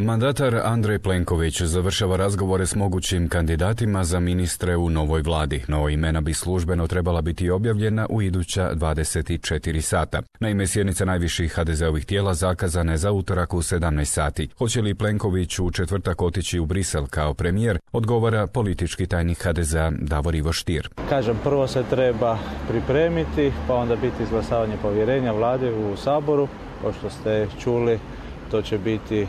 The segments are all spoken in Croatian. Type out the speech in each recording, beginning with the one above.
Mandatar Andrej Plenković završava razgovore s mogućim kandidatima za ministre u novoj vladi, no imena bi službeno trebala biti objavljena u iduća 24 sata. Naime, sjednica najviših HDZ-ovih tijela zakazana je za utorak u 17 sati. Hoće li Plenković u četvrtak otići u Brisel kao premijer, odgovara politički tajnik HDZ-a Davor Ivo Stier. Kažem, prvo se treba pripremiti, pa onda biti izglasavanje povjerenja vlade u Saboru. Kao što ste čuli, to će biti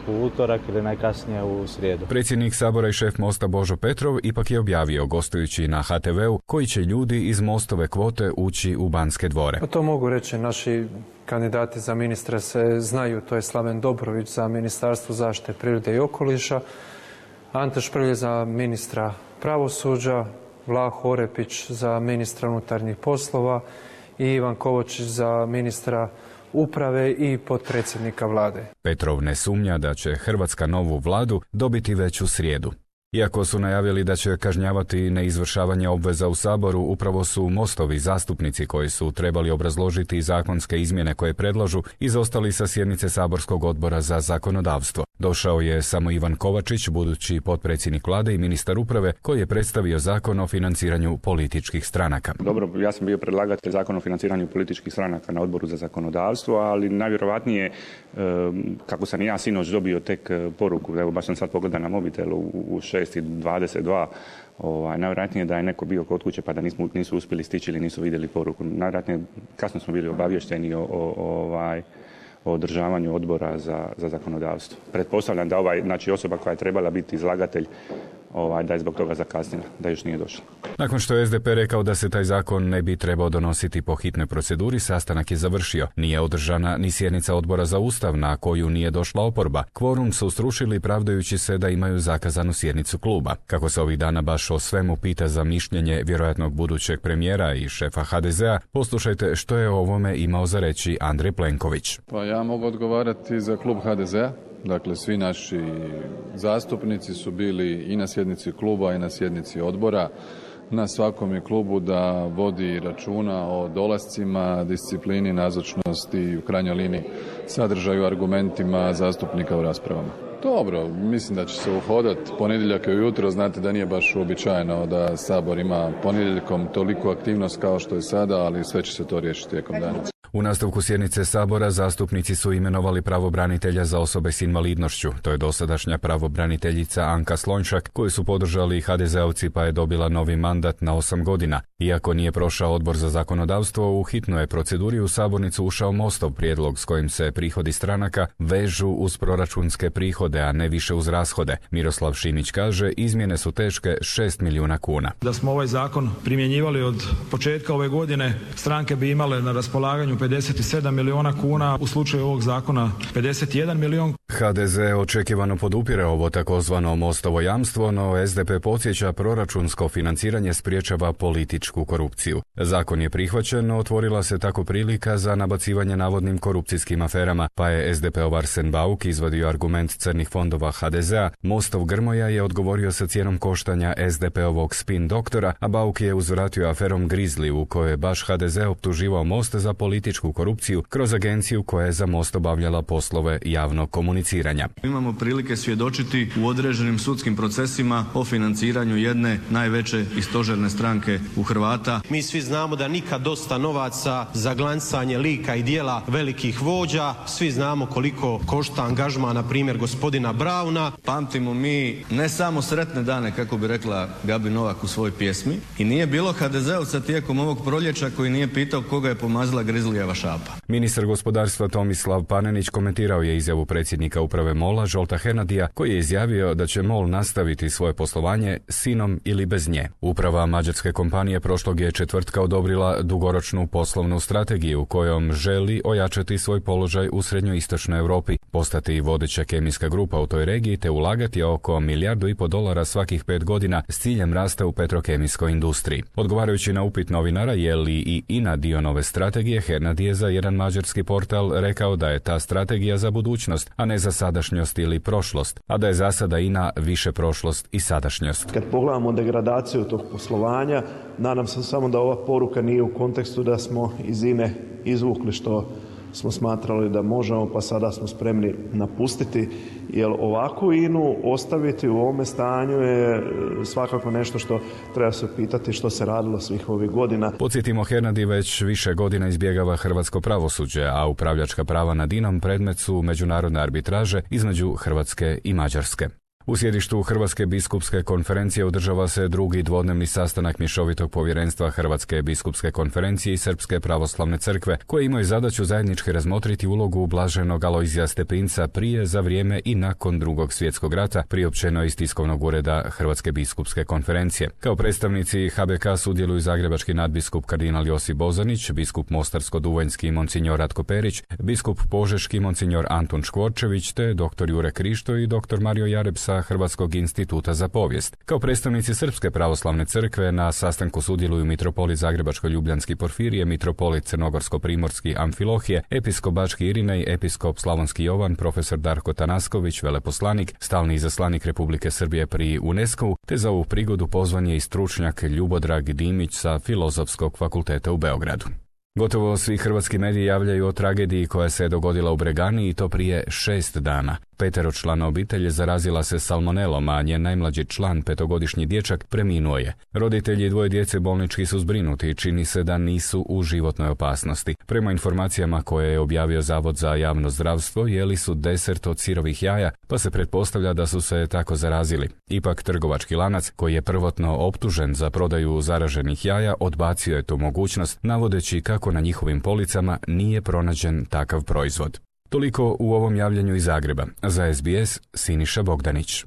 u utorak ili najkasnije u srijedu. Predsjednik Sabora i šef Mosta Božo Petrov ipak je objavio, gostujući na HTV-u, koji će ljudi iz Mostove kvote ući u Banske dvore. To mogu reći, naši kandidati za ministre se znaju, to je Slaven Dobrović za Ministarstvo zaštite prirode i okoliša, Ante Šprlje za ministra pravosuđa, Vlaho Orepić za ministra unutarnjih poslova i Ivan Kovačić za ministra uprave i potpredsjednika vlade. Petrov ne sumnja da će Hrvatska novu vladu dobiti već u srijedu. Iako su najavili da će kažnjavati neizvršavanje obveza u Saboru, upravo su Mostovi zastupnici koji su trebali obrazložiti zakonske izmjene koje predlažu izostali sa sjednice Saborskog odbora za zakonodavstvo. Došao je samo Ivan Kovačić, budući potpredsjednik vlade i ministar uprave, koji je predstavio zakon o financiranju političkih stranaka. Dobro, ja sam bio predlagatelj zakona o financiranju političkih stranaka na odboru za zakonodavstvo, ali najvjerojatnije, kako sam i ja sinoć dobio tek poruku, evo baš sam sad pogledao na mobitelu u 6:22, najvjerojatnije da je neko bio kod kuće pa da nisu uspjeli stići ili nisu vidjeli poruku. Najvjerojatnije kasno smo bili obavješteni o održavanju odbora za zakonodavstvo. Pretpostavljam da osoba koja je trebala biti izlagatelj, da je zbog toga zakasnila, da još nije došla. Nakon što je SDP rekao da se taj zakon ne bi trebao donositi po hitnoj proceduri, sastanak je završio. Nije održana ni sjednica odbora za Ustav, na koju nije došla oporba. Kvorum su srušili pravdajući se da imaju zakazanu sjednicu kluba. Kako se ovih dana baš o svemu pita za mišljenje vjerojatnog budućeg premijera i šefa HDZ-a, poslušajte što je o ovome imao za reći Andrej Plenković. Pa ja mogu odgovarati za klub HDZ-a. Dakle, svi naši zastupnici su bili i na sjednici kluba i na sjednici odbora. Na svakom je klubu da vodi računa o dolascima, disciplini, nazočnosti i u krajnjoj liniji sadržaju, argumentima zastupnika u raspravama. Dobro, mislim da će se uhodati ponedjeljak i ujutro. Znate da nije baš uobičajeno da Sabor ima ponedjeljkom toliku aktivnost kao što je sada, ali sve će se to riješiti tijekom dana. U nastavku sjednice Sabora zastupnici su imenovali pravobranitelja za osobe s invalidnošću. To je dosadašnja pravobraniteljica Anka Slonjšak, koju su podržali HDZ-ovci, pa je dobila novi mandat na 8 godina. Iako nije prošao odbor za zakonodavstvo, u hitnoj proceduri u sabornicu ušao Mostov prijedlog s kojim se prihodi stranaka vežu uz proračunske prihode, a ne više uz rashode. Miroslav Šimić kaže, izmjene su teške 6 milijuna kuna. Da smo ovaj zakon primjenjivali od početka ove godine, stranke bi imale na raspolaganju 57 milijuna kuna, u slučaju ovog zakona 51 milijun. HDZ očekivano podupire ovo takozvano Mostovo jamstvo, no SDP podsjeća, proračunsko financiranje spriječava političku korupciju. Zakon je prihvaćen, no otvorila se tako prilika za nabacivanje navodnim korupcijskim aferama, pa je SDP-ov Arsen Bauk izvadio argument crnih fondova HDZ-a. Mostov Grmoja je odgovorio sa cijenom koštanja SDP-ovog spin doktora, a Bauk je uzvratio aferom Grizli, u kojoj je baš HDZ optuživao Most za političku korupciju kroz agenciju koja je za Most obavljala poslove javnog komuniciranja. Imamo prilike svjedočiti u određenim sudskim procesima o financiranju jedne najveće i stožerne stranke u Hrvata. Mi svi znamo da nikad dosta novaca za glancanje lika i dijela velikih vođa. Svi znamo koliko košta angažman, na primjer, gospodina Brauna. Pamtimo mi ne samo sretne dane, kako bi rekla Gabi Novak u svojoj pjesmi, i nije bilo HDZ-ovca tijekom ovog proljeća koji nije pitao koga je pomazila Grizlijeva šapa. Ministar gospodarstva Tomislav Panenić komentirao je izjavu predsjednika uprave MOL-a Zsolta Hernadija, koji je izjavio da će MOL nastaviti svoje poslovanje s INA-om ili bez nje. Uprava mađarske kompanije prošlog je četvrtka odobrila dugoročnu poslovnu strategiju kojom želi ojačati svoj položaj u srednjoistočnoj Europi, postati vodeća kemijska grupa u toj regiji te ulagati oko $1,5 milijardu svakih 5 godina s ciljem rasta u petrokemijskoj industriji. Odgovarajući na upit novinara je li i INA dio nove strategije, Hernadi je za jedan mađarski portal rekao da je ta strategija za budućnost, a ne za sadašnjost ili prošlost, a da je za sada INA više prošlost i sadašnjost. Kad pogledamo degradaciju tog poslovanja, nadam se samo da ova poruka nije u kontekstu da smo iz INA izvukli što smo smatrali da možemo, pa sada smo spremni napustiti, jer ovakvu INA-u ostaviti u ovome stanju je svakako nešto što treba se pitati što se radilo svih ovih godina. Podsjetimo, Hernadi već više godina izbjegava hrvatsko pravosuđe, a upravljačka prava nad INA-om predmet su međunarodne arbitraže između Hrvatske i Mađarske. U sjedištu Hrvatske biskupske konferencije održava se drugi dvodnevni sastanak mješovitog povjerenstva Hrvatske biskupske konferencije i Srpske pravoslavne crkve, koje imaju zadaću zajednički razmotriti ulogu blaženog Alojzija Stepinca prije, za vrijeme i nakon Drugog svjetskog rata, priopćeno iz tiskovnog ureda Hrvatske biskupske konferencije. Kao predstavnici HBK sudjeluju zagrebački nadbiskup kardinal Josip Bozanić, biskup mostarsko-duvanjski monsinjor Ratko Perić, biskup požeški monsinjor Antun Škvorčević, te dr. Jure Krišto i dr. Mario Jareb sa Hrvatskog instituta za povijest. Kao predstavnici Srpske pravoslavne crkve na sastanku sudjeluju mitropolit Zagrebačko-ljubljanski Porfirije, mitropolit Crnogorsko-primorski Amfilohije, episkop Bački Irinej, episkop Slavonski Jovan, profesor Darko Tanasković, veleposlanik, stalni izaslanik Republike Srbije pri UNESCO-u, te za ovu prigodu pozvan je i stručnjak Ljubodrag Dimić sa Filozofskog fakulteta u Beogradu. Gotovo svi hrvatski mediji javljaju o tragediji koja se dogodila u Bregani, i to prije 6 dana. 5-člana obitelj zarazila se salmonelom, a njen najmlađi član, 5-godišnji dječak, preminuo je. Roditelji 2 djece bolnički su zbrinuti i čini se da nisu u životnoj opasnosti. Prema informacijama koje je objavio Zavod za javno zdravstvo, jeli su desert od sirovih jaja, pa se pretpostavlja da su se tako zarazili. Ipak trgovački lanac, koji je prvotno optužen za prodaju zaraženih jaja, odbacio je tu mogućnost, navodeći kako na njihovim policama nije pronađen takav proizvod. Toliko u ovom javljanju iz Zagreba. Za SBS, Siniša Bogdanić.